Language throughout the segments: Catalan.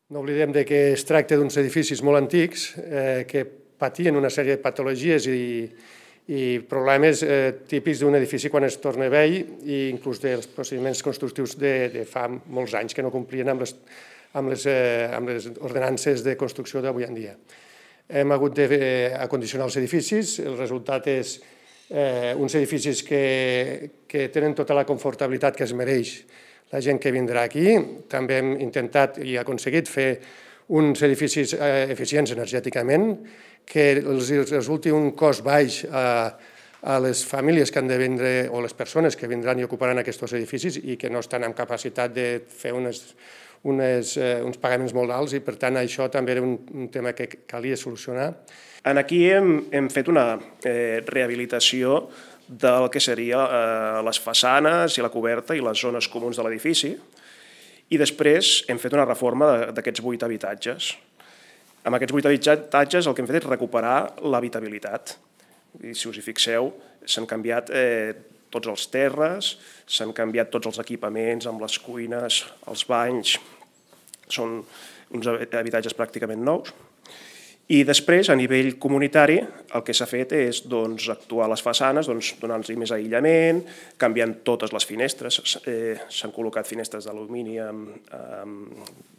No oblidem que es tracta d'uns edificis molt antics que patien una sèrie de patologies i problemes típics d'un edifici quan es torna vell i inclús dels procediments constructius de fa molts anys que no complien amb les ordenances de construcció d'avui en dia. Hem hagut d'acondicionar els edificis, el resultat és uns edificis que tenen tota la confortabilitat que es mereix la gent que vindrà aquí. També hem intentat i aconseguit fer uns edificis eficients energèticament, que els resulti un cost baix a les famílies que han de vindre o les persones que vindran i ocuparan aquests edificis i que no estan en capacitat de fer uns pagaments molt alts i, per tant, això també era un tema que calia solucionar. Aquí hem fet una rehabilitació del que seria les façanes i la coberta i les zones comuns de l'edifici i després hem fet una reforma d'aquests 8 habitatges. Amb aquests 8 habitatges el que hem fet és recuperar l'habitabilitat. Si us hi fixeu, s'han canviat tots els terres, s'han canviat tots els equipaments amb les cuines, els banys, són uns habitatges pràcticament nous. I després, a nivell comunitari, el que s'ha fet és actuar a les façanes, donant-los més aïllament, canviant totes les finestres. S'han col·locat finestres d'alumini amb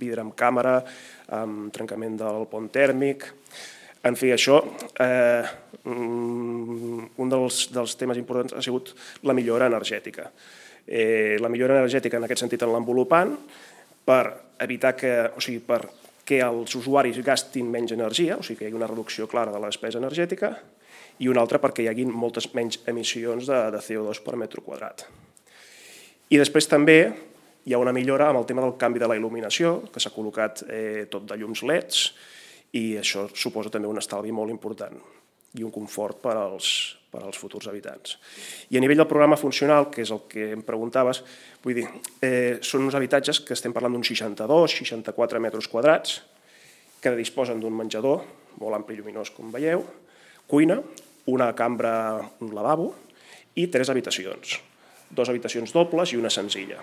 vidre amb càmera, amb trencament del pont tèrmic. En fi, això, un dels temes importants ha sigut la millora energètica. La millora energètica, en aquest sentit, en l'envolupant, per evitar que els usuaris gastin menys energia, o sigui que hi hagi una reducció clara de la despesa energètica, i una altra perquè hi hagi moltes menys emissions de CO2 per metre quadrat. I després també hi ha una millora amb el tema del canvi de la il·luminació, que s'ha col·locat tot de llums LEDs, i això suposa també un estalvi molt important i un confort per als futurs habitants. I a nivell del programa funcional, que és el que em preguntaves, vull dir, són uns habitatges que estem parlant d'uns 62-64 metres quadrats, que disposen d'un menjador, molt ampli i lluminós, com veieu, cuina, una cambra, un lavabo i 3 habitacions, 2 habitacions dobles i una senzilla.